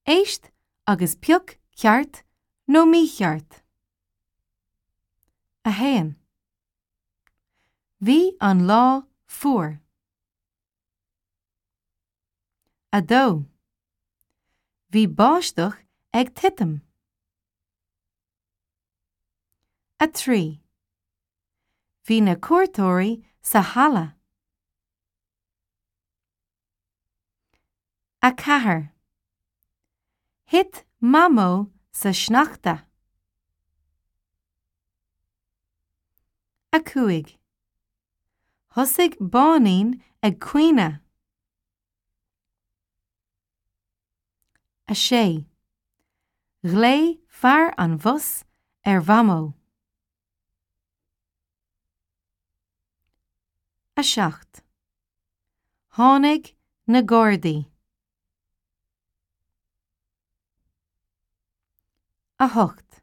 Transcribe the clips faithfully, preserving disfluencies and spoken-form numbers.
Éist agus pioc ceart nó mícheart. A haon. Bhí an lá fuar. A dó. Bhí báisteach ag titim. A trí. Bhí na cuairteoirí sa halla. A ceathair. Thit Mamó sa sneachta. A cúig. Thosaigh Báinín ag caoineadh. A sé. Ghlaoigh fear an bhus ar Mhamó. A seacht. Tháinig na Gardaí. A hocht.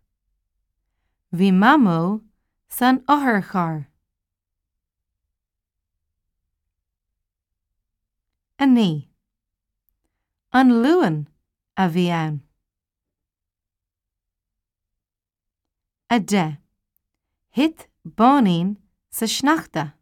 Bhí Mamó san otharcharr. A naoi. An Luan a bhí ann. A deich. Thit Báinín sa sneachta.